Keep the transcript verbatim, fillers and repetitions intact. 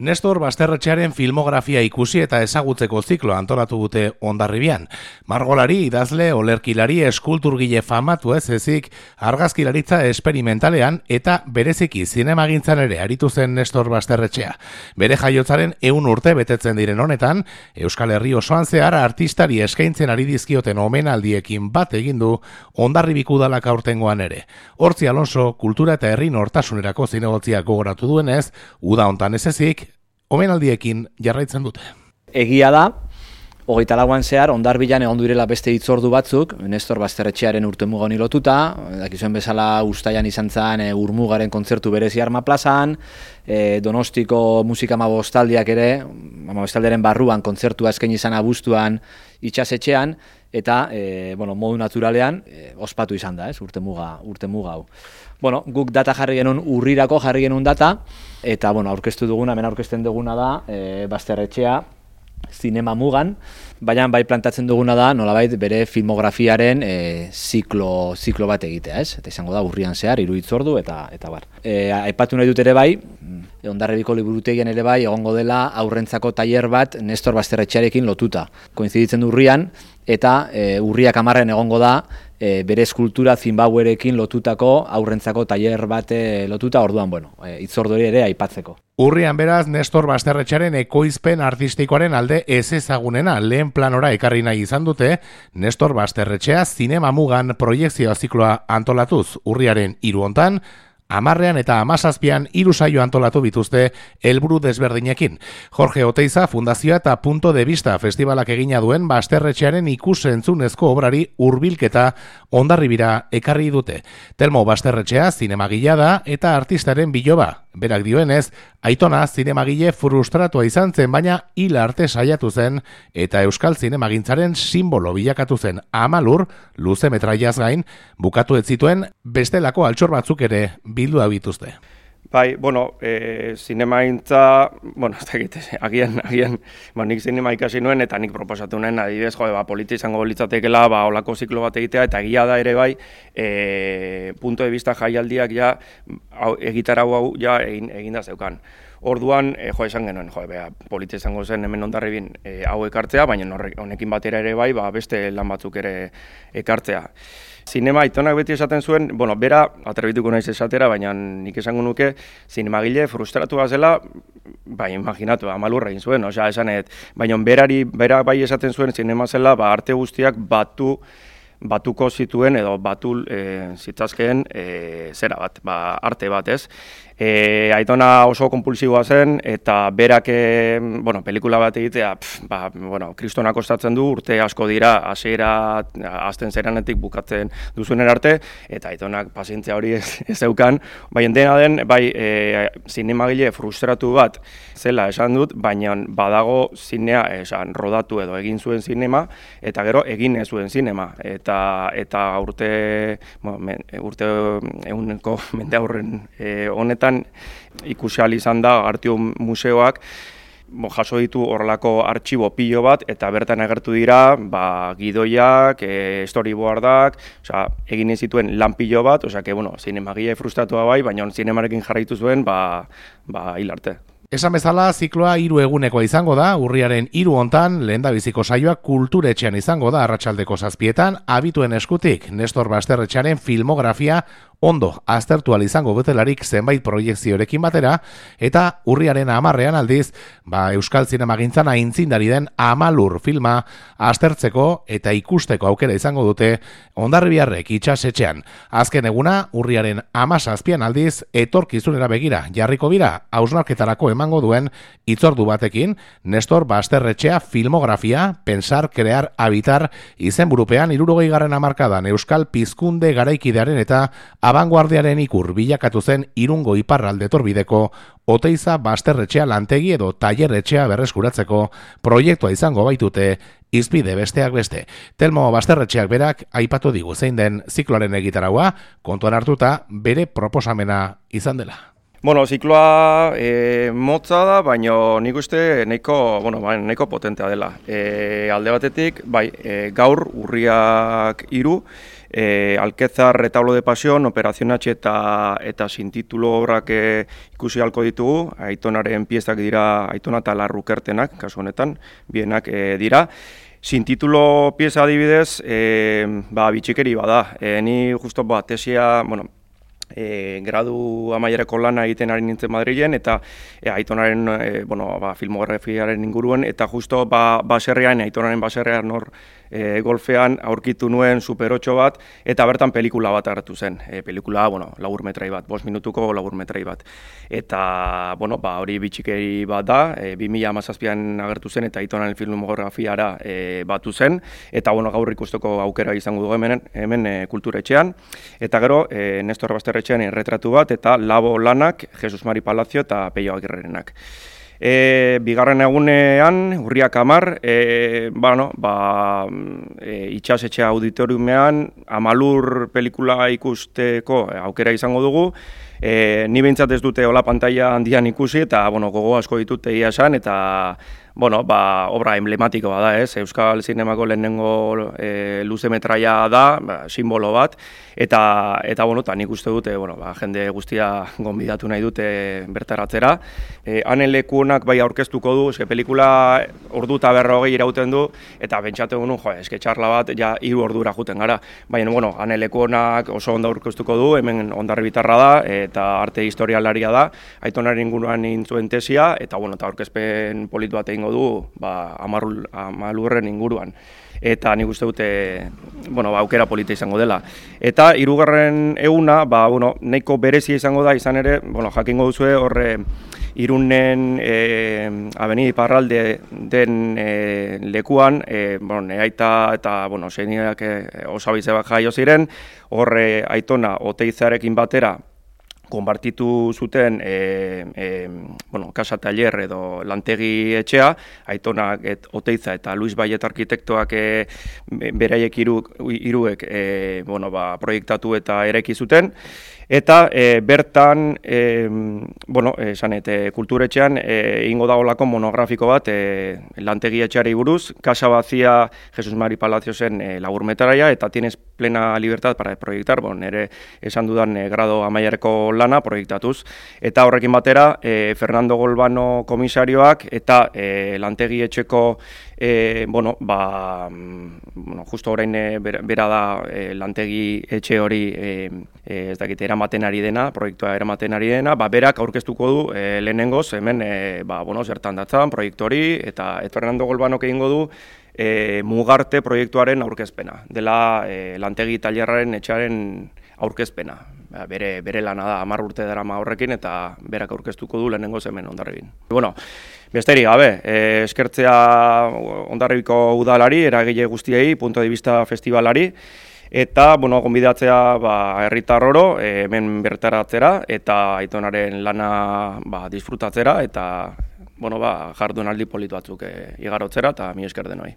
Nestor Basterretxearen filmografia ikusi eta ezagutzeko zikloa antolatu dute Hondarribian. Margolari, idazle, olerkilari, eskulturgile famatu ez ezik, argazkilaritza esperimentalean eta bereziki zinemagintzan ere aritu zen Nestor Basterretxea. Bere jaiotzaren ehun urte betetzen diren honetan, Euskal Herri osoan zehar artistari eskaintzen ari dizkioten omenaldiekin bat egin du Hondarribiko udalak aurtengoan ere. Hortzi Alonso, kultura eta herri nortasunerako zinegotziak gogoratu duenez, uda hontan ez ezik, omenaldiekin jarraitzen dute. Egia da, hogeita lauan zehar, Hondarbilan egon direla beste hitzordu batzuk, Nestor Basterretxearen urtemuga honi lotuta, dakizuen bezala Uztailan izan zen e, Urmugaren kontzertu berezi Arma plazan, e, Donostiko musika amabostaldiak ere, amabostaldiaren barruan kontzertua eskaini izan abuztuan itxasetxean, eta e, bueno, modu naturalean e, ospatu izan da, ez, urtemuga, urtemuga hau. Bueno, guk data jarri genuen urrirako jarri genuen data, eta bueno, aurkeztu duguna, hemen aurkezten duguna da, e, Basterretxea zinema mugan, baina bai plantatzen duguna da, nolabait bere filmografiaren e, ziklo, ziklo bat egitea, ez? Eta izango da urrian zehar, hiru hitzordu eta eta bar. E, aipatu nahi dut ere bai, Hondarribiko liburutegian ere bai egongo dela aurrentzako tailer bat Nestor Basterretxearekin lotuta. Koinziditzen du urrian, eta e, urriak hamarren egongo da e, bere eskultura Zimbabwerekin lotutako aurrentzako tailer bat e, lotuta, orduan, bueno, e, hitzordu ere aipatzeko. Urrian beraz, Nestor Basterretxearen ekoizpen artistikoaren alde ez ezagunena lehen planora ekarri nahi izan dute, Nestor Basterretxea zinema mugan proiekzioa zikloa antolatuz urriaren hiru hontan, hamarrean eta hamazazpian hiru saio antolatu bituzte helburu desberdinekin. Jorge Oteiza Fundazioa eta Punto de Vista festivalak egina duen Basterretxearen ikusentzunezko obrari hurbilketa Hondarribira ekarri dute. Telmo Basterretxea zinemagilea da eta artistaren biloba. Berak dioenez, aitona zinemagile frustratua izan zen, baina hil arte saiatu zen eta euskal zinemagintzaren simbolo bilakatu zen. Amalur, luze metraiaz gain, bukatu ez zituen bestelako altxor batzuk ere bildu abituzte. Bai, bueno, e, zinemagintza, bueno, ez dakit, agian, agian, ba, nik zinema ikasi nuen eta nik proposatu nuen, adibidez, jo, ba, polita izango litzatekela, ba, olako ziklo bat egitea, eta egia da ere bai, e, punto de vista jaialdiak ja, hau, egitarau hau ja egin, egin da zeukan. Orduan, e, jo, esan genuen, jo, bea, polita izango zen hemen Hondarribin e, hau ekartzea, baina honekin batera ere bai, ba, beste lan batzuk ere ekartzea. Zinema aitonak beti esaten zuen, bueno, bera, atrebituko naiz esatera, baina nik esango nuke, zinemagile frustratu zela, bai, imaginatu, amalurra egin zuen, osea, esanet, baina berari, bera bai esaten zuen zinema zela, ba, arte guztiak batu, batuko zituen edo batu e, zitzazkeen e, zera bat, ba, arte bat, ez? E, aitona oso konpulsiboa zen eta berak, e, bueno, pelikula bat egitea, pf, ba, bueno, kristonak kostatzen du, urte asko dira, hasiera hasten zeranetik bukatzen duzunen arte, eta aitonak pazientzia hori ez, ez zeukan, bai, dena den, bai, e, zinemagile frustratu bat zela esan dut, baina badago zinea esan rodatu edo egin zuen zinema, eta gero egin ez zuen zinema, eta eta urte, bueno, urte ehuneko mende aurren e, honetan ikusi ahal izan da Artium museoak jaso ditu horrelako artxibo pilo bat eta bertan agertu dira ba, gidoiak, e, storyboardak, osea, egin zituen lan pilo bat, osea, que, bueno, zinemagile frustratua bai, baina zinemarekin jarraitu zuen ba, ba, hil arte. Esan bezala, zikloa hiru egunekoa izango da, urriaren hiru hontan, lehendabiziko saioa kulturetxean izango da arratsaldeko zazpietan, abituen eskutik, Nestor Basterretxearen filmografia ondo aztertu ahal izango betelarik zenbait proiekziorekin batera, eta urriaren hamarrean aldiz, ba, Euskal Zinemagintzan aintzindari den Amalur filma aztertzeko eta ikusteko aukera izango dute Hondarribiarrek itxasetxean. Azken eguna, urriaren hamazazpian aldiz, etorkizunera begira jarriko bira, hausnarketarako emango duen hitzordu batekin, Nestor Basterretxea filmografia, pensar, crear, habitar, izenburupean hirurogeigarren hamarkadan Euskal Pizkunde garaikidearen eta abanguardiaren ikur bilakatu zen Irungo iparralde torbideko Oteiza Basterretxea lantegi edo tailerretxea berreskuratzeko proiektua izango baitute izpide besteak beste. Telmo Basterretxeak berak aipatu digu zein den zikloaren egitaraua, kontuan hartuta bere proposamena izan dela. Bueno, zikloa e, motza da, baina nik uste nahiko, bueno, nahiko potentea dela. E, alde batetik, bai, e, gaur urriak hiru, e, Alkezar Retablo de Pasión, Operación H eta, eta sintitulo obrak e, ikusi halko ditugu. Aitonaren piezak dira Aitona eta Larrukertenak, kasu honetan, bienak e, dira. Sin titulo pieza adibidez, e, ba, bitxikeri bada. E, ni justo ba, tesia, bueno, e, gradu amaierako lana egiten ari nintzen Madrilen, eta e, Aitonaren e, bueno, ba, filmografiaren inguruen, eta justo ba, baserrean, Aitonaren baserrean hor e, golfean aurkitu nuen Super ocho bat, eta bertan pelikula bat agertu zen. E, pelikula, bueno, labur metrai bat, bost minutuko labur metrai bat. Eta, bueno, ba, hori bitxikeri bat da, e, bi mila hamazazpian agertu zen, eta Aitonaren filmografiara e, batu zen, eta, bueno, gaur ikusteko aukera izango dugu hemen, hemen e, kulturetxean. Eta gero, e, Nestor Basterretxean erretratu bat, eta Labo Lanak, Jesus Mari Palazzo eta Peio Agirrerenak. E, bigarren egunean, urriak hamar, e, bueno, ba, e, itxasetxe auditoriumean, Amalur pelikula ikusteko aukera izango dugu. E, ni behintzat ez dute hola pantalla handian ikusi, eta bueno, gogo asko ditut egia esan, eta bueno, ba, obra emblematikoa da, ez? Euskal Zinemako lehenengo e, luze metraia da, ba, simbolo bat, eta, eta bueno, ta nik uste dute, bueno, ba, jende guztia gonbidatu nahi dute bertaratzera. E, Hanen lekuonak bai aurkeztuko du, eske pelikula ordu eta berrogei irauten du, eta bentsatu egun, jo, eske txarla bat, ja, hiru ordura juten gara. Baina, bueno, Hanen lekuonak oso ondo aurkeztuko du, hemen Hondarribitarra da, eta arte historialaria da, Aitonaren inguruan egin zuen tesia, eta, bueno, eta aurkezpen polit bat egin du ba, amarul, amalurren inguruan. Eta nik uste dute, bueno, ba, aukera polita izango dela. Eta hirugarren eguna, ba, bueno, nahiko berezia izango da, izan ere, bueno, jakingo duzue horre Irunen e, Avenida Iparralde den e, lekuan, e, bueno, neaita eta bueno, seniak e, osabize bat jaio ziren, horre Aitona Oteizarekin batera konpartitu zuten e, e, bueno, Casa Taller edo lantegi etxea, Aitona et, Oteiza eta Luis Baiet arkitektoak e, beraiek hiru hiruek e, bueno, ba, proiektatu eta eraiki zuten. Eta e, bertan, e, bueno, esan eta kulturetxean egingo da olako monografiko bat e, lantegi etxeari buruz, Casa Vacía Jesus Mari Palaziosen e, laburmetaraia, eta tienes plena libertad para proiektar, bon, nire esan dudan e, grado amaiareko lana proiektatuz. Eta horrekin batera, e, Fernando Golbano komisarioak eta e, lantegi etxeko E, bueno, ba, bueno, justo orain e, bera da e, lantegi etxe hori e, e, ez dakit eramaten ari dena, proiektua eramaten ari dena, ba, berak aurkeztuko du e, lehenengoz hemen e, ba, bueno, zertan datzan proiektu hori, eta et Fernando Golbanok egingo du e, Mugarte proiektuaren aurkezpena, dela e, lantegi tailerraren etxearen aurkezpena. Ba, bere, bere lana da, hamar urte darama horrekin, eta berak aurkeztuko du lehenengoz hemen Hondarribin. Bueno, besterik gabe, eh, eskertzea Hondarribiko udalari, eragile guztiei, punto de vista festivalari, eta, bueno, gonbidatzea ba, herritar oro, eh, hemen bertaratzera, eta Aitonaren lana ba, disfrutatzera, eta, bueno, ba, jardunaldi politu batzuk eh, igarotzera, eta mi esker denoi.